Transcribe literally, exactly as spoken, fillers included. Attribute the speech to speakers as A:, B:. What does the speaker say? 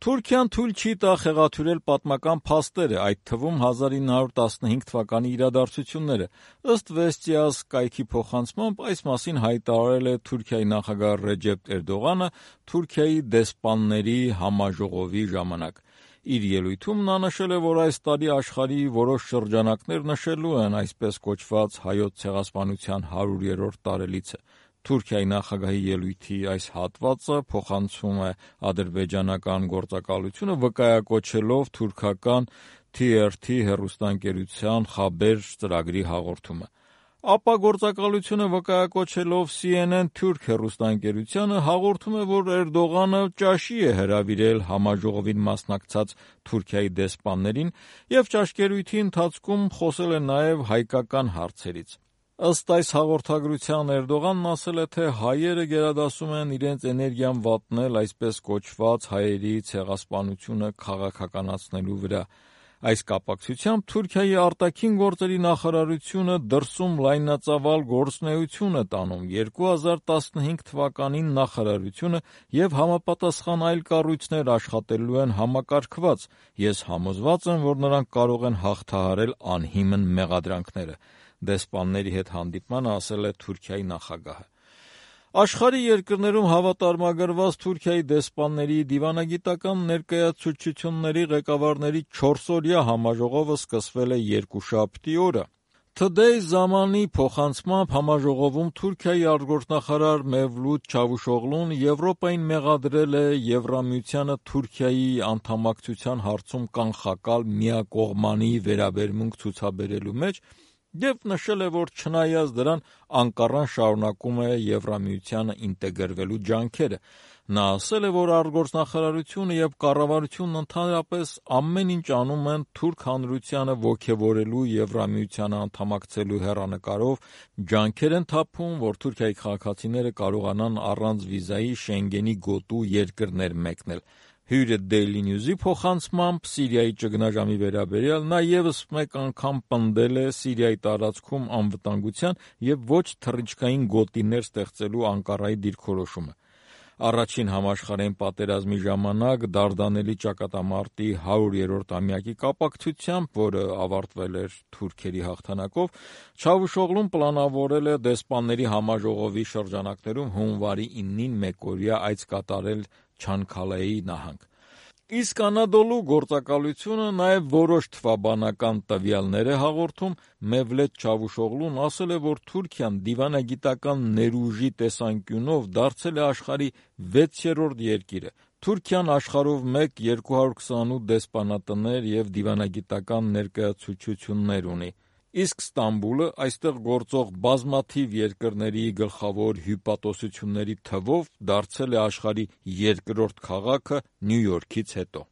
A: Թուրքիան թույլ չի տա խեղաթյուրել պատմական փաստերը, այդ թվում հազար ինը հարյուր տասնհինգ թվականի իրադարձությունները։ Ըստ Վեստիաս կայքի փոխանցմամբ այս մասին հայտարարել է Թուրքիայի նախագահ Ռեջեփ Էրդողանը Թուրքիայի դեսպանների համաժողովի ժամանակ։ Իր ելույթում նա նշել է, որ այս տարի աշխարհի որոշ շրջանակներ նշելու են այսպես կոչված հայոց ցեղասպանության հարյուրերորդ տարելիցը։ Թուրքիայի նախագահի ելույթի այս հատվածը փոխանցում է ադրբեջանական գործակալությունը, վկայակոչելով թուրքական T R T հեռուստաընկերության Խաբեր ծրագրի հաղորդումը։ Ապա գործակալությունը վկայակոչելով C N N թուրք հեռուստաընկերությանը հաղորդում է, որ Էրդողանը ճաշի է հրավիրել համաժողովին մասնակցած Թուրքիայի դեսպաններին և ճաշկերույթի ընթացքում խոսել է նաև հայկական հարցերից։ Ըստ այս հաղորդագրության Էրդողանն ասել է, թե հայերը գերադասում են իրենց էներգիան վատնել այսպես կոչված հայերի ցեղասպանությունը քաղաքականացնելու վրա։ Այս կապակցությամբ Թուրքիայի արտաքին գործերի նախարարությունը դրսում լայնածավալ գործունեություն է տանում։ երկու հազար տասնհինգ թվականին նախարարությունը և համապատասխան այլ կառույցներ աշխատելու են համակարգված։ Ես համոզված եմ, որ նրանք կարող են հաղթահարել անհիմն մեղադրանքները, դեսպանների հետ հանդիպմանը ասել է Թուրքիայի նախագահը։ Աշխարհի երկրներում հավատարմագրված Թուրքիայի դեսպանների դիվանագիտական ներկայացուցչությունների ղեկավարների չորսօրյա համաժողովը սկսվել է երկուշաբթի օրը։ Today ժամանի փոխանցմամբ համաժողովում Թուրքիայի արտգործնախարար Մևլութ Չավուշօղլուն Եվրոպային մեղադրել է Եվրամիությանը Թուրքիայի անդամակցության հարցում կանխակալ միակողմանի վերաբերմունք ցուցաբերելու մեջ և նշել է, որ չնայած դրան Անկարան շարունակում է Եվրամիությանը ինտեգրվելու ջանքերը։ Նա ասել է, որ արտգործնախարարությունը և կառավարությունն ընդհանրապես ամեն ինչ անում են թուրք հանրությանը ոգևորելու Եվրամիությանը անդամակցելու հեռանկարով, ջանքեր են թափում, որ Թուրքիայի քաղաքացիները կարողանան առանց վիզայի Շենգենի գոտու երկրներ մեկնել։ Հյուրը Daily News-ի փոխանցմամբ Սիրիայի ճգնաժամի վերաբերյալ նա ևս մեկ անգամ պնդել է Սիրիայի տարածքում անվտանգության և ոչ թռիչքային գոտիներ ստեղծելու Անկարայի դիրքորոշումը։ Առաջին համաշխարհային պատերազմի ժամանակ Դարդանելի ճակատամարտի հարյուրերորդ ամյակի կապակցությամբ, որը ավարտվել էր թուրքերի հաղթանակով, Չավուշօղլուն պլանավորել է դեսպանների համաժողովի շրջանակներում հունվարի իննին մեկօրյա այց կատարել Չանքալեի նահանգ։ Իսկ Անադոլու գործակալությունը նաև որոշ թվաբանական տվյալներ է հաղորդում։ Մևլութ Չավուշօղլուն ասել է, որ Թուրքիան դիվանագիտական ներուժի տեսանկյունով դարձել է աշխարհի վեցերորդ երկիրը։ Թուրքիան աշխարհով մեկ երկու հարյուր քսանութ դեսպանատներ և դիվանագիտական ներկայացուցչություններ ունի։ Իսկ Ստամբուլը այստեղ գործող բազմաթիվ երկրների գլխավոր հյուպատոսությունների թվով դարձել է աշխարհի երկրորդ քաղաքը Նյու Յորքից հետո։